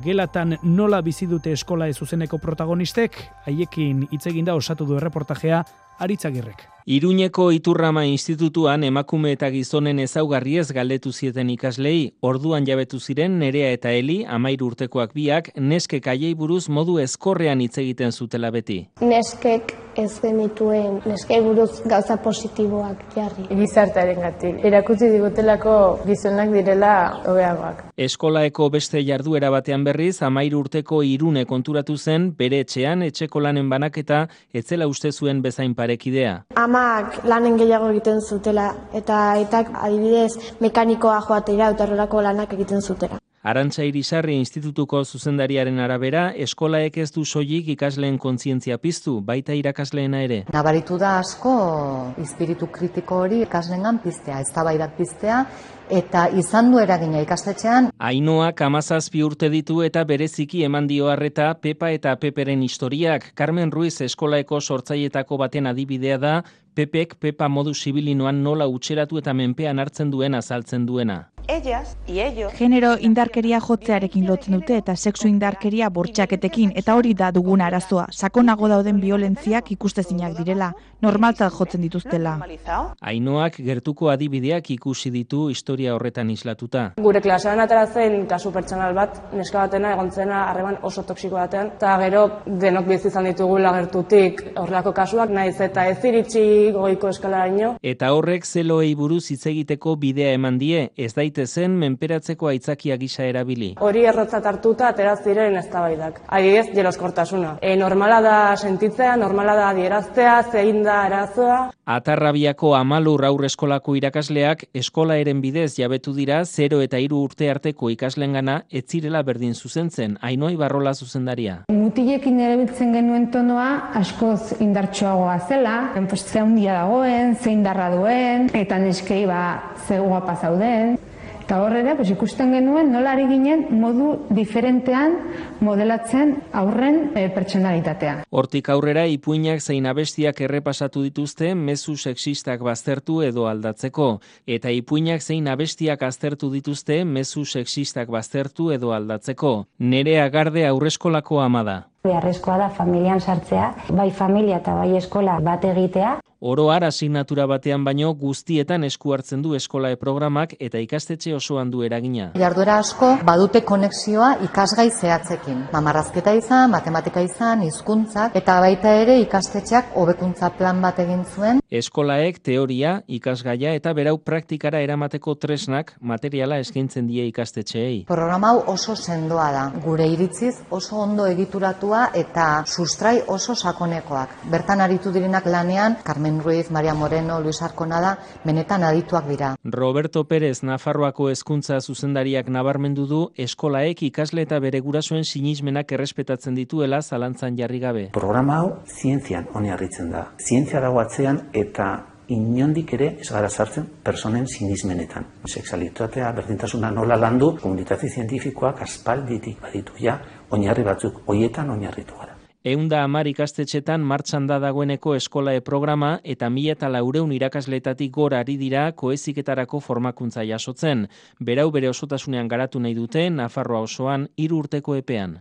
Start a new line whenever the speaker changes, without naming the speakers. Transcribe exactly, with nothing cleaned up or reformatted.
gelatan nola bizi dute eskola ez zuzeneko protagonistek, haiekin hitz egin da osatu du erreportajea Aritzagirrek.
Iruñeko Iturrama Institutuan emakume eta gizonen ezaugarriez galdetu zieten ikaslei, orduan jabetu ziren Nerea eta Eli, hamairu urtekoak biak, neskek haiei buruz modu ezkorrean hitz egiten zutela beti.
Neskek ez genituen, neskei buruz gauza positiboak jarri.
Gizartearengatik, erakutsi digutelako gizonak direla hobeagoak.
Eskolaeko beste jarduera batean berriz, hamairu urteko Irune konturatu zen, bere etxean etxeko lanen banaketa etzela uste zuen bezain parekidea.
Amak lanen gehiago egiten zutela, eta aitak adibidez mekanikoa joatera eta horrelako lanak egiten zutela.
Arantxa Irisarri Institutuko zuzendariaren arabera, eskolaek ez du soilik ikasleen kontzientzia piztu, baita irakasleena ere.
Nabaritu da asko espiritu kritiko hori ikasleengan piztea, eztabaidak piztea, eta izan du eragina ikastetxean.
Ainoak hamazazpi urte ditu eta bereziki eman dio harreta Pepa eta Peperen historiak. Carmen Ruiz eskolaeko sortzailetako baten adibidea da, Pepek Pepa modu zibilinoan nola utxeratu eta menpean hartzen duen azaltzen duena.
Genero indarkeria jotzearekin lotzen dute eta sexu indarkeria bortxaketekin, eta hori da dugun arazoa. Sakonago dauden biolentziak ikustezinak direla, normaltzat jotzen dituztela.
Ainoak gertuko adibideak ikusi ditu historia horretan islatuta.
Gure klasean atera zen kasu pertsonal bat, neska batena egon zena harreman oso toksiko batean, eta gero denok bizi izan ditugula gertutik horrelako kasuak, naiz eta ez iritsi goiko eskalaraino.
Eta horrek zeloei buruz hitz egiteko bidea eman die, ez daitezen menperatzeko aitzakia gisa erabili.
Hori errotzat hartuta atera ziren eztabaidak. Adibidez, jeloskortasuna. E, normala da sentitzea, normala da adieraztea, zein da arazoa.
Atarrabiako Amalur aurreskolako irakasleak eskolaeren bidez jabetu dira zero eta hiru urte arteko ikaslengana ez zirela berdin zuzentzen, Ainoi Barrola zuzendaria.
Mutilekin erabiltzen genuen tonoa askoz indartsuagoa zela, ze handia dagoen, ze indarra duen, eta neskei ba ze guapa zauden. Eta horrela, pues, ikusten genuen nola ari ginen modu diferentean modelatzen aurren e, pertsonalitatea.
Hortik aurrera ipuinak zein abestiak errepasatu dituzte mezu sexistak baztertu edo aldatzeko, eta ipuinak zein abestiak aztertu dituzte mezu sexistak baztertu edo aldatzeko. Nerea Garde aurreskolako ama da.
Beharrezkoa da familian sartzea, bai familia eta bai eskola bat egitea.
Oro har asignatura batean baino guztietan esku hartzen du eskolae programak eta ikastetxe osoan du eragina.
Jarduera asko badute konexioa ikasgai zehatzekin. Mamarrazketa izan, matematika izan, hizkuntzak eta baita ere ikastetxeak hobekuntza plan bat egin zuen.
Eskolaek teoria, ikasgaia eta berau praktikara eramateko tresnak materiala eskaintzen die ikastetxeei.
Programa hau oso sendoa da. Gure iritziz oso ondo egituratua eta sustrai oso sakonekoak. Bertan aritu direnak lanean, Carmen Ruiz, Maria Moreno, Luis Arconada, benetan adituak dira.
Roberto Pérez Nafarroako hezkuntza zuzendariak nabarmendu du eskolaek ikasle eta bere gurasoen sinismenak errespetatzen dituela zalantzan jarri gabe.
Programa hau zientzian oinarritzen da. Zientzia dago atzean eta inondik ere ez gara sartzen personen sinismenetan. Sexualitatea, berdintasuna nola landu, komunitate zientifikoak aspalditik baditu ja, oinarri batzuk, hoietan oinarritu gara.
Ehunda hamar ikastetxetan martxan da dagoeneko eskolae programa eta mila eta laurehun irakasletatik gora ari dira koeziketarako formakuntza jasotzen. Berau bere osotasunean garatu nahi dute Nafarroa osoan hiru urteko epean.